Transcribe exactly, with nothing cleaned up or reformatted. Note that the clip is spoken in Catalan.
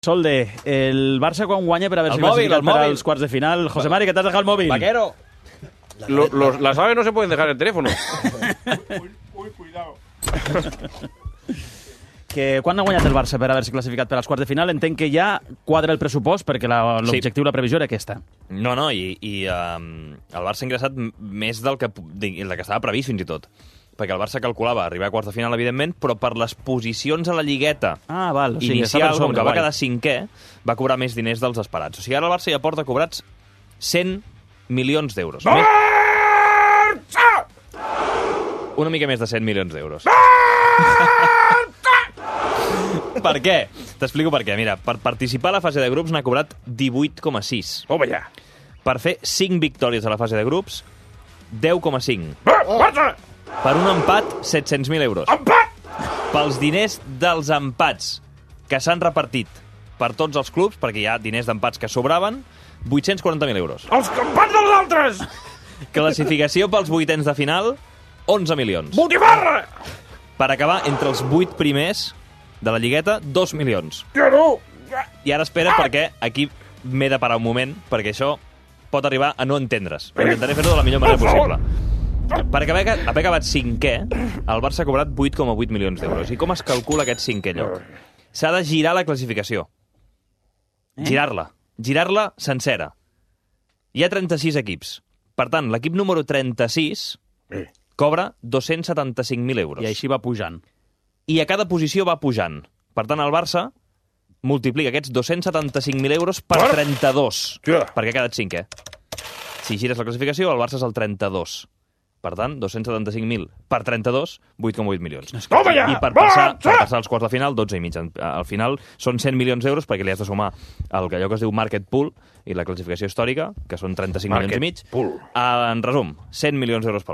Solde, el Barça quan guanya per haver-se móvil, clasificat per móvil. als quarts de final. José Mari, que t'has dejado el móvil. Vaquero. Lo, los, las aves no se pueden dejar en el teléfono. Uy, uy, cuidado. Que quan ha guanyat el Barça per haver-se classificat per als quarts de final? Entenc que ja quadra el pressupost, perquè l'objectiu, la previsió era aquesta. No, no, i, i um, el Barça ha ingressat més del que, del que estava previst, fins i tot. Perquè el Barça calculava arribar a quarts de final, evidentment, però per les posicions a la lligueta ah, val, o sigui, inicial, com que va guai. quedar cinquè, va cobrar més diners dels esperats. O sigui, ara el Barça ja porta cobrats cent milions d'euros. Barça! Una mica més de cent milions d'euros. Per què? T'explico per què. Mira, per participar a la fase de grups n'ha cobrat divuit coma sis. Home, ja. Per fer cinc victòries a la fase de grups, deu coma cinc. Barça! Per un empat, set-cents mil euros. Empat! Pels diners dels empats que s'han repartit per tots els clubs, perquè hi ha diners d'empats que sobraven, vuit-cents quaranta mil euros. Els campans dels altres! Classificació pels vuitens de final, onze milions. Botifarra! Per acabar entre els vuit primers de la lligueta, dos milions. Que no! I ara espera, perquè aquí m'he de parar un moment, perquè això pot arribar a no entendre's. Però intentaré fer-ho de la millor manera possible. Per haver, haver acabat cinquè, el Barça ha cobrat vuit coma vuit milions d'euros. I com es calcula aquest cinquè lloc? S'ha de girar la classificació. Eh? Girar-la. Girar-la sencera. Hi ha trenta-sis equips. Per tant, l'equip número trenta-sis Eh. cobra dos-cents setanta-cinc mil euros. I així va pujant. I a cada posició va pujant. Per tant, el Barça multiplica aquests dos-cents setanta-cinc mil euros per Per? trenta-dos, Ja. perquè ha quedat cinquè. Si gires la classificació, el Barça és el trenta-dos. Per tant, dos-cents setanta-cinc mil per trenta-dos, vuit coma vuit milions. Toma ja! I per passar, Barça! per passar als quarts de final, dotze i mig. Al final són cent milions d'euros perquè li has de sumar el que allò que es diu market pool i la classificació històrica, que són trenta-cinc milions i mig. Pool. En resum, cent milions d'euros pel Barça.